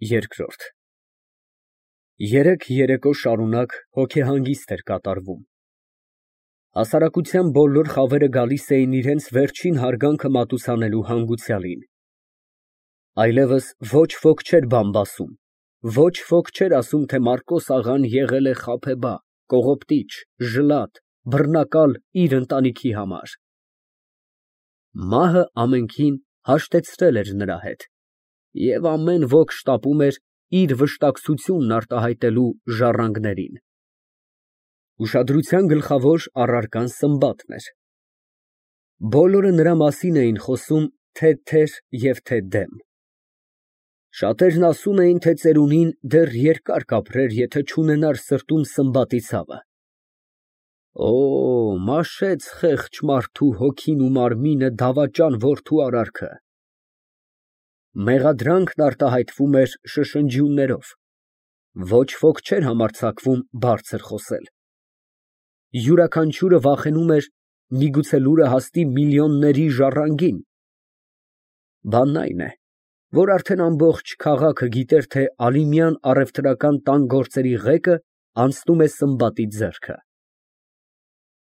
Երկրորդ Երեք երեկո շարունակ հոգեհանգիստ էր կատարվում. հասարակության բոլոր խավերը գալիս էին իրենց վերջին հարգանքը մատուցանելու հանգուցյալին. այլևս ոչ ոք չէր բամբասում, ոչ ոք չէր ասում, թե Մարկոս աղան եղել է խաբեբա, կողոպտիչ, ժլատ, բռնակալ իր ընտանիքի համար. մահը ամենքին հաշտեցրել էր նրա հետ, և ամեն ոք շտապում էր իր վշտակցությունն արտահայտելու ժառանգներին. ուշադրության գլխավոր առարկան Սմբատն էր. բոլորը նրա մասին էին խոսում թե թեր և թե դեմ. շատերն ասում էին, թե ծերունին դեռ երկար կապրեր, եթե չունենար սրտում Սմբատի ցավը. «Օ, մաշեց խեղճ մարդու հոգին ու մարմինը դավաճան որդու արարքը»։ Մեղադրանքն արտահայտվում էր շշնջյուններով, ոչ ոք չէր համարձակվում բարձր խոսել. յուրաքանչյուրը վախենում էր միգուցե լուրը հասնի միլիոնների ժառանգին. բանն այն է, որ արդեն ամբողջ քաղաքը գիտեր, թե Ալիմյան առևտրական տան գործերի ղեկը անցնում է Սմբատի ձեռքը։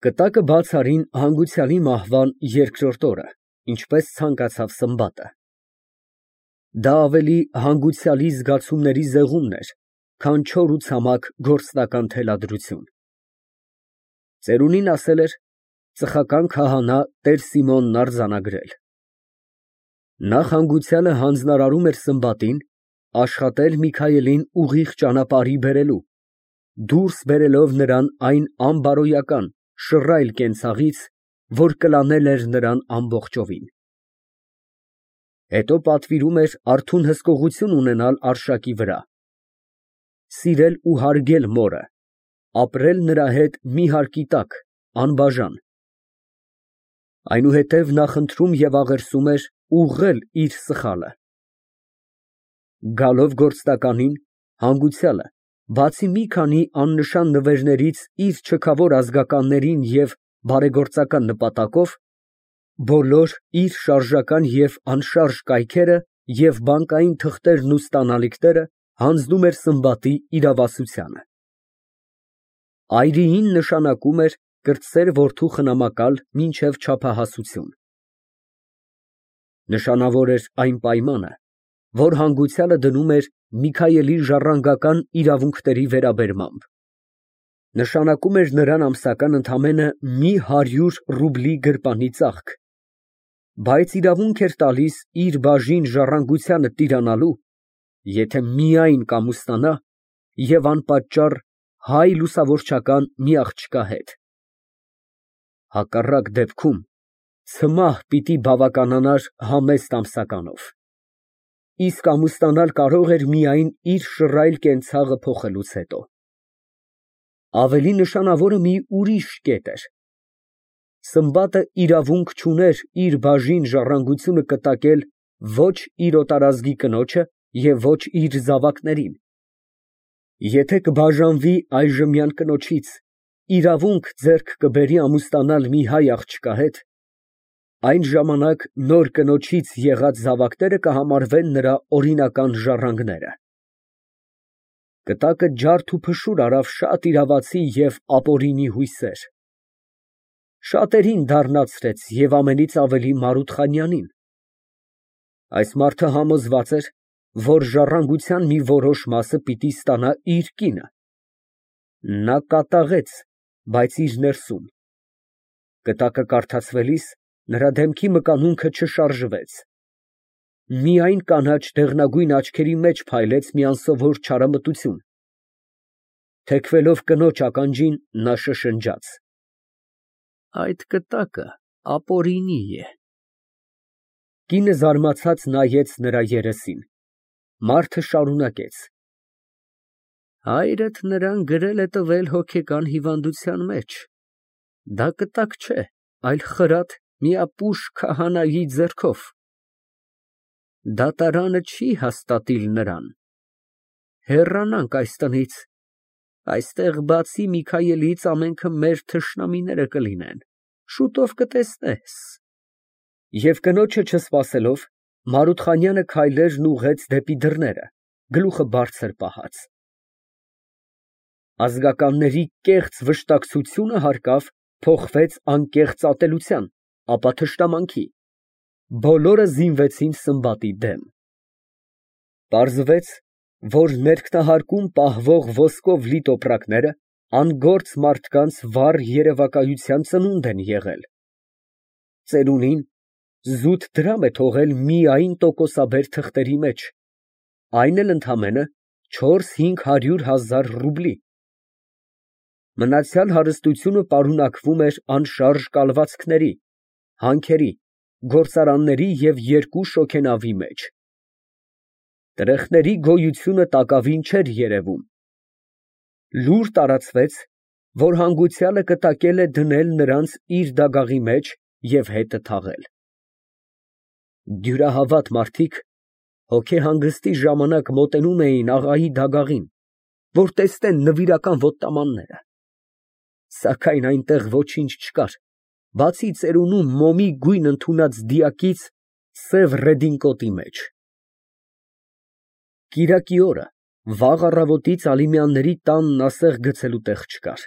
Կտակը բաց արին հանգուցյալի մահվան երկրորդ օրը, ինչպես ցանկացավ Սմբատը։ Դա ավելի հանգուցյալի զգացումների զեղումն էր, քան չոր ու ցամաք գործնական թելադրություն։ Ծերունին ասել էր ծխական քահանա Տեր Սիմոնն արձանագրել։ Նախ հանգուցյալը հանձնարարում էր Սմբատին աշխատել Միքայելին ուղիղ ճանապարհի բերելու, դուրս բերելով նրան այն անբարոյական, շռայլ կենցաղից, որ կլանել էր նրան ամբողջովին։ Հետո պատվիրում էր արթուն հսկողություն ունենալ արշակի վրա, սիրել ու հարգել մորը, ապրել նրա հետ մի հարկի տակ, անբաժան։ Այնուհետև նա խնդրում և աղերսում էր ուղղել իր սխալը։ Գալով գործնականին, հանգուցյալը, բացի մի քանի աննշան նվերներից իր չքավոր ազգականներին և բարեգործական նպատակով, բոլոր իր շարժական և անշարժ կայքերը և բանկային թղթերն ու ստանալիքները հանձնում էր Սմբատի իրավասությանը։ Այրիին նշանակում էր կրտսեր որդու խնամակալ մինչև չափահասություն։ Նշանավոր էր այն պայմանը, որ հանգուցյալը դնում էր Միքայելի ժառանգական իրավունքների վերաբերմամբ. նշանակում էր նրան ամսական ընդամենը մի 100 ռուբլի գրպանի ծախք, բայց իրավունք էր տալիս իր բաժին ժառանգությանը տիրանալու, եթե միայն կամուստանա և անպատճառ հայ լուսավորչական մի աղջկա հետ։ Հակառակ դեպքում ցմահ պիտի բավականանար համեստ ամսականով, իսկ ամուսնանալ կարող էր միայն իր շռայլ կենցաղը փոխելուց հետո։ Ավելի նշանավորը մի ուրիշ կետ էր. Սմբատը իրավունք չուներ իր բաժին ժառանգությունը կտակել ոչ իր օտարազգի կնոջը և ոչ իր զավակներին։ Եթե կբաժանվի այժմյան կնոջից, իրավունք ձեռք կբերի ամուսնանալ մի հայ աղջկա հետ, այն ժամանակ նոր կնոջից եղած զավակները կհամարվեն նրա օրինական ժառանգները։ Կտակը ջարդ ու փշուր արավ շատ իրավացի և ապօրինի հույսեր, շատերին դառնացրեց և ամենից ավելի Մարութխանյանին։ Այս մարդը համոզված էր, որ ժառանգության մի որոշ մասը պիտի ստանա իր կինը։ Նա կատաղեց, բայց իր ներսում։ Կտակը կարդացվելիս նրա դեմքի մկանունքը չշարժվեց։ Միայն կանաչ դեղնագույն աչքերի մեջ փայլեց մի անսովոր չարամտություն։ Թեքվելով կնոջ ականջին, նա շշնջաց. «Այդ կտակը ապօրինի է»։ Կինը զարմացած նայեց նրա երեսին։ Մարդը շարունակեց. հայրդ նրան գրել է տվել հոգեկան հիվանդության մեջ, դա կտակ չէ, այլ խրատ մի ապուշ քահանայի ձեռքով։ Դատարանը չի հաստատիլ նրան։ Հեռանանք այս տնից, այստեղ բացի Միքայելից ամենքը մեր թշնամիները կլինեն, շուտով կտեսնես։ Եվ կնոջը չսպասելով, Մարութխանյանը քայլերն ուղղեց դեպի դռները, գլուխը բարձր պահած։ Ազգականների կեղծ վշտակցությունը հարկավ փոխվեց անկեղծ ատելության, ապա թշնամանքի։ Բոլորը զինվեցին Սմբատի դեմ։ Պարզվեց, որ ներքնահարկում պահվող ոսկով լի տոպրակները անգործ մարդկանց վառ երևակայության ծնունդ են եղել։ Ծերունին զուտ դրամ է թողել միայն տոկոսաբեր թղթերի մեջ, այն էլ ընդամենը 400-500 ռուբլի։ Մնացյալ հարստությունը պարունակվում էր անշարժ կալվածքների, հանքերի, գործարանների և 2 շոգենավի մեջ։ Տրեխների գոյությունը տակավին չէր երևում։ Լուր տարածվեց, որ հանգուցյալը կտակել է դնել նրանց իր դագաղի մեջ և հետը թաղել։ Դյուրահավատ մարդիկ հոգեհանգստի ժամանակ մոտենում էին աղայի դագաղին, որ տեսնեն նվիրական ոտնամանները։ Սակայն այնտեղ ոչինչ չկար, բացի ծերունու մոմի գույն ընդունած դիակից սև ռեդինկոտի մեջ։ Կիրակի օրը վաղ առավոտից Ալիմյանների տանն ասեղ գցելու տեղ չկար։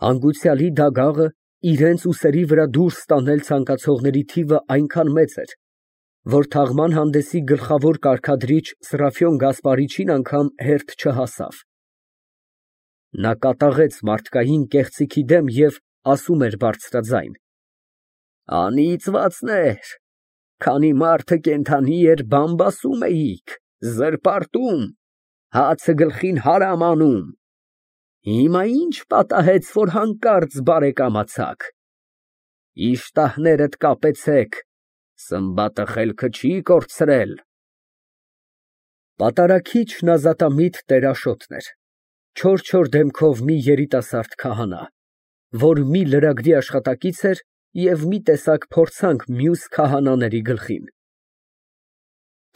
Հանգուցյալի դագաղը իրենց ուսերի վրա դուրս տանել ցանկացողների թիվը այնքան մեծ էր, որ թաղման հանդեսի գլխավոր կարգադրիչ Սրափիոն Գասպարիչին անգամ հերթ չհասավ։ Նա կատաղեց մարդկային կեղծիքի դեմ և ասում էր բարձրաձայն. «Անիծվածներ, քանի մարդը կենդանի էր, բամբասում էիք, զրպարտում, հացը գլխին հարամ անում։ Հիմա ի՞նչ պատահեց, որ հանկարծ բարեկամացաք։ Իշտահներդ կապեցեք, Սմբատը խելքը չի կորցրել»։ Պատարագիչն ազատամիտ տերաշոտն էր, չոր դեմքով մի երիտասարդ քահանա, որ մի լրագրի աշխատակից էր և մի տեսակ փորձանք մյուս քահանաների գլխին։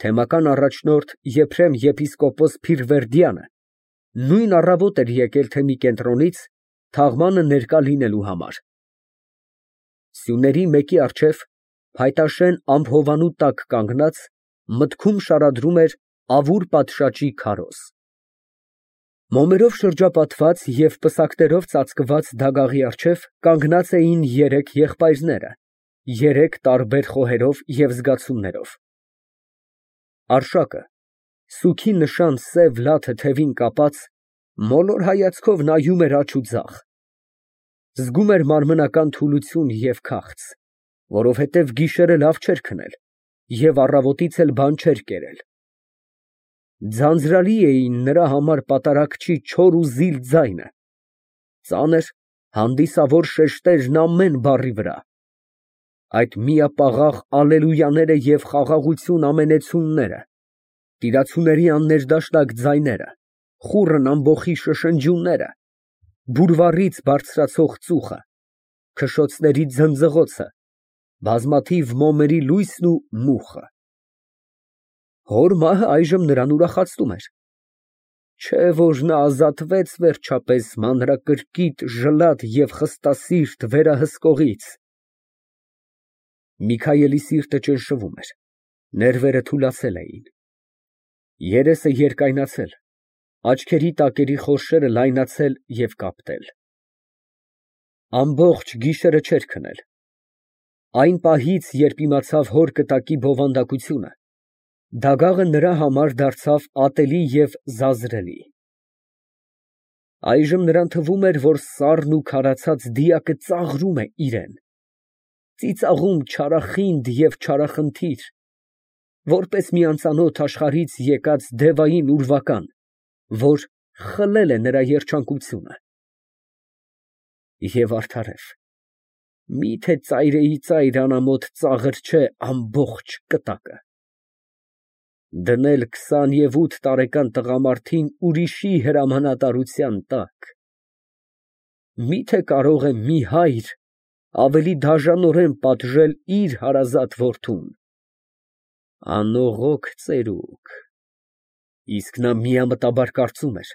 Թեմական առաջնորդ Եփրեմ եպիսկոպոս Փիրվերդյանը նույն առավոտ էր եկել թեմի կենտրոնից թաղմանը ներկա լինելու համար։ Սյուների մեկի առջև փայտաշեն ամփովանու տակ կանգնած մտքում շարադրում էր ավուր պատշաճի քարոզ։ Մոմերով շրջապատված և պսակներով ծածկված դագաղի առջև կանգնած էին 3 եղբայրները, 3 տարբեր խոհերով և զգացումներով։ Արշակը, սուգի նշան սև լաթը թևին կապած, մոլոր հայացքով նայում էր աջ ու ձախ։ Զգում էր մարմնական թուլություն և քաղց, որովհետև գիշերը լավ չէր քնել և առավոտից էլ բան չէր կերել։ Ձանձրալի էին նրա համար պատարագչի չոր ու զիլ ձայնը, ծանր, հանդիսավոր շեշտերն ամեն բառի վրա, այդ միապաղաղ ալելույաները և խաղաղություն ամենեցունները, տիրացուների աններդաշնակ ձայները, խուռն ամբոխի շշնջյունները, բուրվառից բարձրացող ծուխը, քշոցների ձնձղոցը, բազմաթիվ մոմերի լույսն ու մուխը։ Հոր մահը այժմ նրան ուրախացնում էր։ Չէ՞ որ նա ազատվեց վերջապես մանրակրկիտ, ժլատ և խստասիրտ վերահսկողից։ Միքայելի սիրտը ճնշվում էր, ներվերը թուլացել էին, երեսը երկայնացել, աչքերի տակերի խորշերը լայնացել և կապտել։ Ամբողջ գիշերը չէր քնել։ Այն պահից, երբ իմացավ հոր կտակի բովանդակությունը, դագաղը նրա համար դարձավ ատելի և զազրելի։ Այժմ նրան թվում էր, որ սառն ու քարացած դիակը ծաղրում է իրան, ծիծաղում չարախինդ և չարախնդիր, որպես մի անծանոթ աշխարհից եկած դևային ուրվական, որ խլել է նրա երջանկությունը։ Եվ արդարև, մի՞թե ծայրիծայր անամոթ ծաղր չէ ամբողջ կտակը։ Դնել 28 տարեկան տղամարդին ուրիշի հրամանատարության տակ։ Մի՞թե կարող է մի հայր ավելի դաժանորեն պատժել իր հարազատ որդուն։ Անողոք ծերուկ։ Իսկ նա միամտաբար կարծում էր,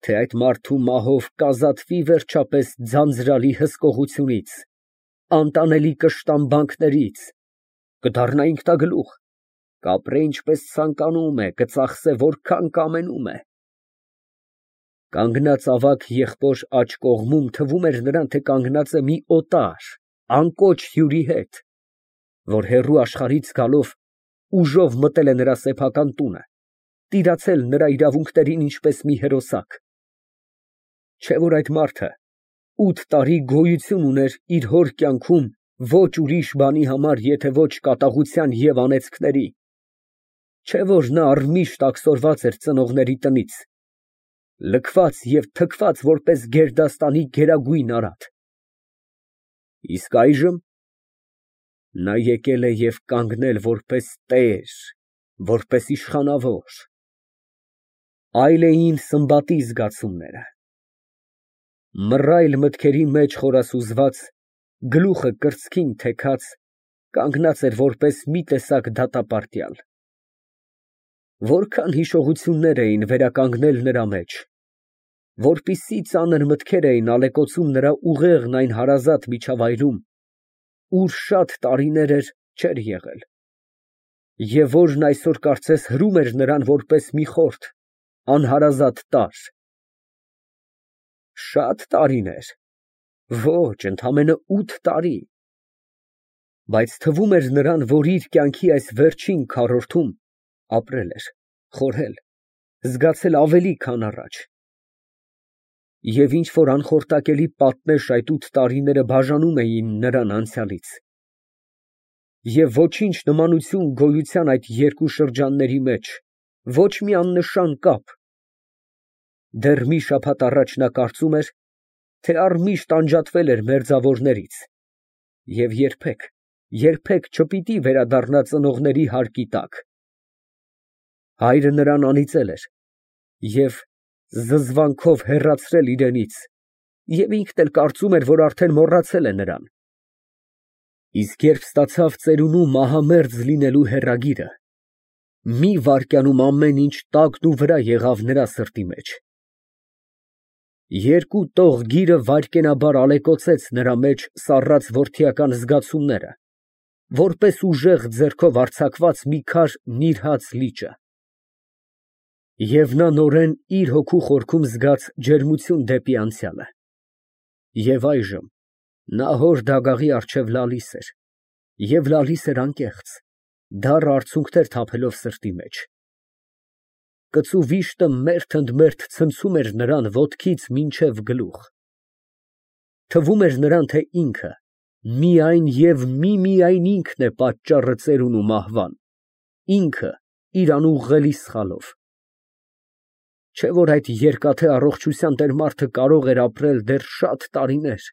թե այդ մարդու մահով կազատվի վերջապես ձանձրալի հսկողությունից, անտանելի կշտամբանքներից, կդառնա ինքնագլուխ, Կապրե ինչպես ցանկանում է, կծախսե որքան կամենում է։ Կանգնած ավագ եղբոր աջ կողմում թվում էր նրան, թե կանգնած է մի օտար, անկոչ հյուրի հետ, որ հեռու աշխարհից գալով ուժով մտել է նրա սեփական տունը, տիրացել նրա իրավունքներին ինչպես մի հերոսակ։ Չէ՞ որ այդ մարդը 8 տարի գոյություն ուներ իր հոր կյանքում ոչ ուրիշ բանի համար, եթե ոչ կատաղության և անեծքների։ Չէ՞ որ նա առմիշտ աքսորված էր ծնողների տնից, լքված և թքված որպես գերդաստանի գերագույն արատ։ Իսկ այժմ նա եկել է և կանգնել որպես տեր, որպես իշխանավոր։ Այլ էին Սմբատի զգացումները։ Մռայլ մտքերի մեջ խորասուզված, գլուխը կրծքին թեքած, կանգնած էր որպես մի տեսակ դատապարտյալ։ Որքան հիշողություններ էին վերականգնել նրա մեջ, որպիսի ծանր մտքեր էին ալեկոծում նրա ուղեղն այն հարազատ միջավայրում, ուր շատ տարիներ էր չէր եղել, և որն այսօր կարծես հրում էր նրան որպես մի խորթ, անհարազատ տարր։ Շատ տարիներ, ոչ, ընդամենը 8 տարի, բայց թվում էր նրան, որ իր կյանքի այս վերջին քառորդում ապրել էր, խորհել, զգացել ավելի, քան առաջ։ Եվ ինչ֊որ անխորտակելի պատնեշ այդ 8 տարիները բաժանում էին նրան անցյալից։ Եվ ոչինչ նմանություն գոյության այդ երկու շրջանների մեջ, ոչ մի աննշան կապ։ Դեռ մի շաբաթ առաջ նա կարծում էր, թե առմիշտ անջատվել էր մերձավորներից և երբեք չպիտի վերադառնա ծնողների հարկի տակ։ Հայրը նրան անիծել էր և զզվանքով հեռացրել իրենից, և ինքն էլ կարծում էր, որ արդեն մոռացել է նրան։ Իսկ երբ ստացավ ծերունու մահամերձ լինելու հեռագիրը, մի վայրկյանում ամեն ինչ տակնուվրա եղավ նրա սրտի մեջ։ Երկու տող գիրը վայրկենաբար ալեկոծեց նրա մեջ սառած որդիական զգացումները, որպես ուժեղ ձեռքով արձակված մի քար նիրհած լիճը։ Եվ նա նորեն իր հոգու խորքում զգաց ջերմություն դեպի անցյալը։ Եվ այժմ նա հոր դագաղի առջև լալիս էր, և լալիս էր անկեղծ, դառը արցունքներ թափելով սրտի մեջ։ Կծու վիշտը մերթ ցնցում էր նրան ոտքից մինչև գլուխ։ Թվում էր նրան, թե ինքը, միայն և միմիայն ինքն է պատճառը ծերունու մահվան, ինքը իր անուղղելի սխալով։ Չէ՞ որ այդ երկաթե առողջության տեր մարդը կարող էր ապրել դեռ շատ տարիներ։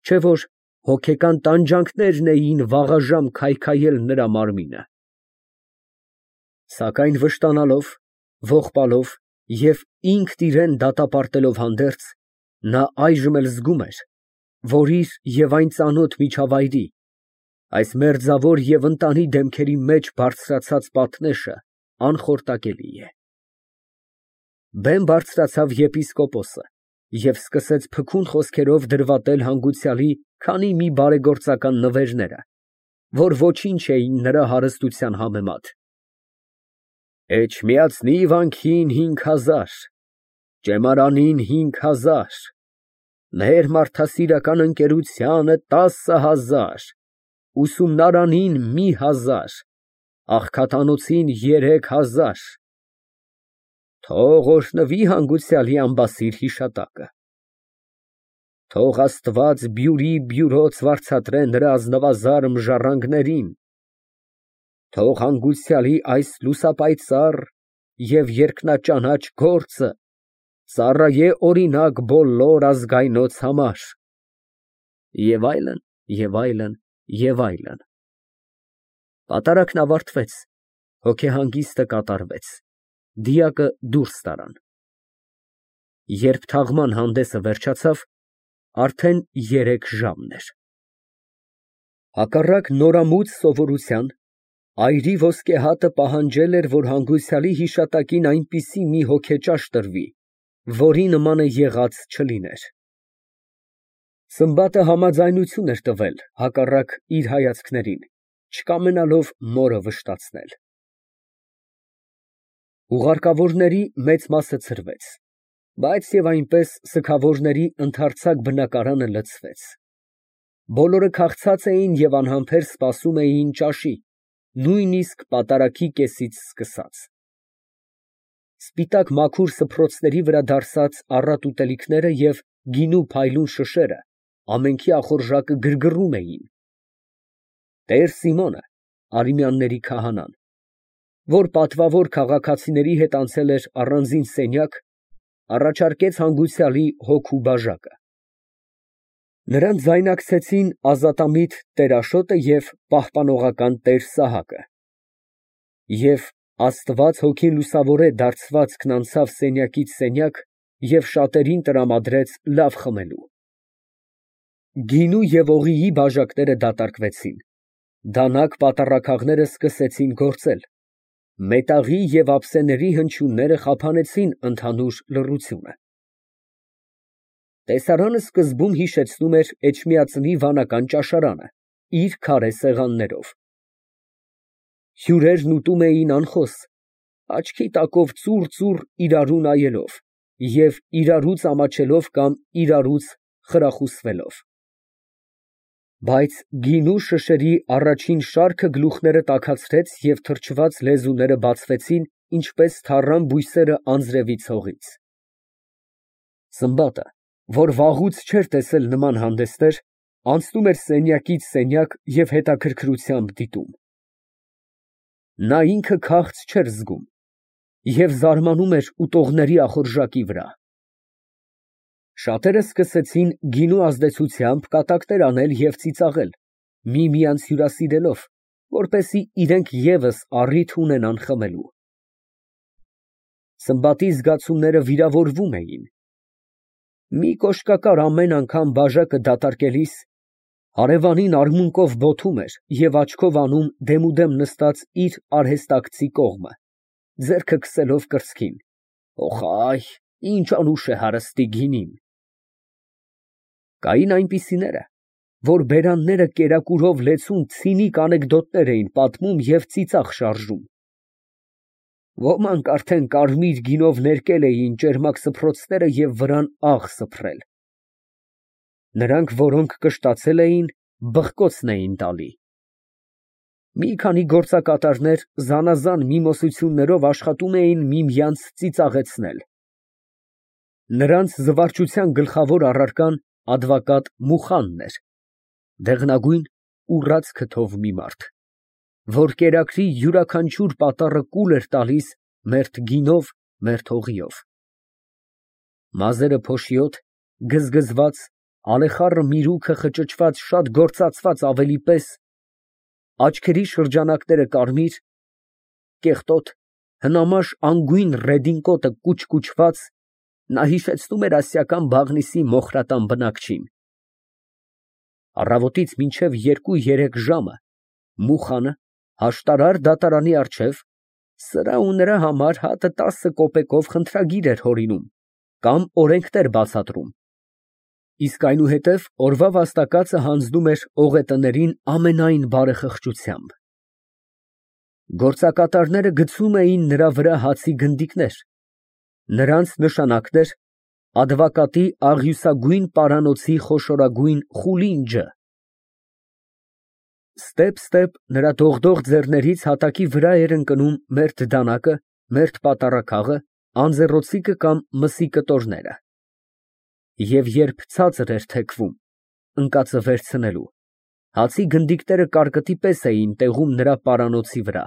Չէ՞ որ հոգեկան տանջանքներն էին վաղաժամ քայքայել նրա մարմինը։ Սակայն վշտանալով, ողբալով և ինքն իրան դատապարտելով հանդերձ, նա այժմ էլ զգում էր, որ իր և այն ծանոթ միջավայրի, այս մերձավոր և ընտանի դեմքերի մեջ բարձրացած պատնեշը անխորտակելի է։ Բեմ բարձրացավ եպիսկոպոսը և սկսեց փքուն խոսքերով դրվատել հանգուցյալի քանի մի բարեգործական նվերները, որ ոչինչ էին նրա հարստության համեմատ։ Էջմիածնի վանքին 5000, ճեմարանին 5000, մեր մարդասիրական ընկերությանը 10000, ուսումնարանին 1000, աղքատանոցին 3000։ Թող օրհնվի հանգուցյալի ամբասիր հիշատակը։ Թող Աստված բյուրոց վարձատրե նրա ազնվազարմ ժառանգներին։ Թող հանգուցյալի այս լուսապայծառ և երկնաճանաչ գործը ծառայե օրինակ բոլոր ազգայնոց համար։ Եվ այլն, և այլն, և այլն։ Պատարագն ավարտվեց, հոգեհանգիստը կատարվեց, դիակը դուրս տարան։ Երբ թաղման հանդեսը վերջացավ, արդեն 3 ժամն էր։ Հակառակ նորամուծ սովորության, այրի ոսկե հատը պահանջել էր, որ հանգուցյալի հիշատակին այնպիսի մի հոգեճաշ տրվի, որի նմանը եղած չլիներ։ Սմբատը համաձայնություն էր տվել հակառակ իր հայացքներին չկամենալով մորը վշտացնել։ Ուղարկավորների մեծ մասը ցրվեց, բայց և այնպես սգավորների ընդարձակ բնակարանը լցվեց։ Բոլորը քաղցած էին և անհամբեր սպասում էին ճաշի, նույնիսկ պատարագի կեսից սկսած։ Սպիտակ մաքուր սփռոցների վրա դարսած առատ ուտելիքները և գինու փայլուն շշերը ամենքի ախորժակը գրգռում էին։ Տեր Սիմոնը, Արամյանների քահանան, որ պատվավոր քաղաքացիների հետ անցել էր առանձին սենյակ, առաջարկեց հանգուցյալի հոգու բաժակը։ Նրան ձայնակցեցին ազատամիտ տեր Աշոտը և պահպանողական տեր Սահակը։ Եվ Աստված հոգին լուսավորե դարձվածքն անցավ սենյակից սենյակ և շատերին տրամադրեց լավ խմելու։ Գինու և օղիի բաժակները դատարկվեցին, դանակ պատառաքաղները սկսեցին գործել, մետաղի և ափսեների հնչյունները խափանեցին ընդհանուր լռությունը։ Տեսարանը սկզբում հիշեցնում էր Էջմիածնի վանական ճաշարանը իր քարե սեղաններով։ Հյուրերն ուտում էին անխոս, աչքի տակով ծուռ իրարու նայելով և իրարուց ամաչելով կամ իրարուց խրախուսվելով։ Բայց գինու շշերի առաջին շարքը գլուխները տաքացրեց և թրջված լեզուները բացվեցին, ինչպես թառան բույսերը անձրևի ցողից։ Սմբատը, որ վաղուց չէր տեսել նման հանդեսներ, անցնում էր սենյակից սենյակ և հետաքրքրությամբ դիտում։ Նա ինքը քաղց չէր զգում և զարմանում էր ուտողների ախորժակի վրա։ Շատերը սկսեցին գինու ազդեցությամբ կատակներ անել և ծիծաղել, միմյանց հյուրասիրելով, որպեսզի իրենք ևս առիթ ունենան խմելու։ Սմբատի զգացումները վիրավորվում էին։ Մի կոշկակար ամեն անգամ բաժակը դատարկելիս հարևանին արմունկով բոթում էր և աչքով անում դեմուդեմ նստած իր արհեստակցի կողմը, ձեռքը քսելով կրծքին։ «Օխ այ, ինչ անուշ է հարստի գինին»։ Կային այնպիսիները, որ բերանները կերակուրով լեցուն ցինիկ անեկդոտներ էին պատմում և ծիծաղ շարժում։ Ոմանք արդեն կարմիր գինով ներկել էին ճերմակ սփռոցները և վրան աղ սփռել։ Նրանք, որոնք կշտացել էին, բխկոցն էին տալի։ Մի քանի գործակատարներ զանազան միմոսություններով աշխատում էին միմյանց ծիծաղեցնել։ Նրանց զվարճության գլխավոր առարկան advocat Մուխանն էր, դեղնագույն, ուռած քթով մի մարդ, որ կերակրի յուրաքանչյուր պատառը կուլ էր տալիս մերթ գինով, մերթ օղիով։ Մազերը փոշիոտ, գզգզված, ալեխառը միրուքը խճճված շատ գործածված ավելի պես, աչքերի շրջանակները կարմիր, կեղտոտ, հնամաշ անգույն ռեդինկոտը կուչկուչված, նա հիշեցնում էր ասիական Բաղնիսի մոխրատան բնակչին։ Առավոտից մինչև 2-3 ժամը Մուխանը հաշտարար դատարանի առջև սրա ու նրա համար հատը 10 կոպեկով խնդրագիր էր հորինում կամ օրենքներ բացատրում, իսկ այնուհետև օրվա վաստակածը հանձնում էր օղետներին ամենայն բարեխղճությամբ։ Գործակատարները գցում էին նրա վրա հացի գնդիկներ, նրանց նշանակն էր advocatի աղյուսագույն պարանոցի խոշորագույն խուլին ջը։ Ստեպ նրա դողդող ձեռներից հատակի վրա էր ընկնում մերթ դանակը, մերթ պատառաքաղը, անձեռոցիկը կամ մսի կտորները։ Եվ երբ ցածր էր թեքվում, ընկածը վերցնելու, հացի գնդիկները կարկտի պես էին տեղում նրա պարանոցի վրա։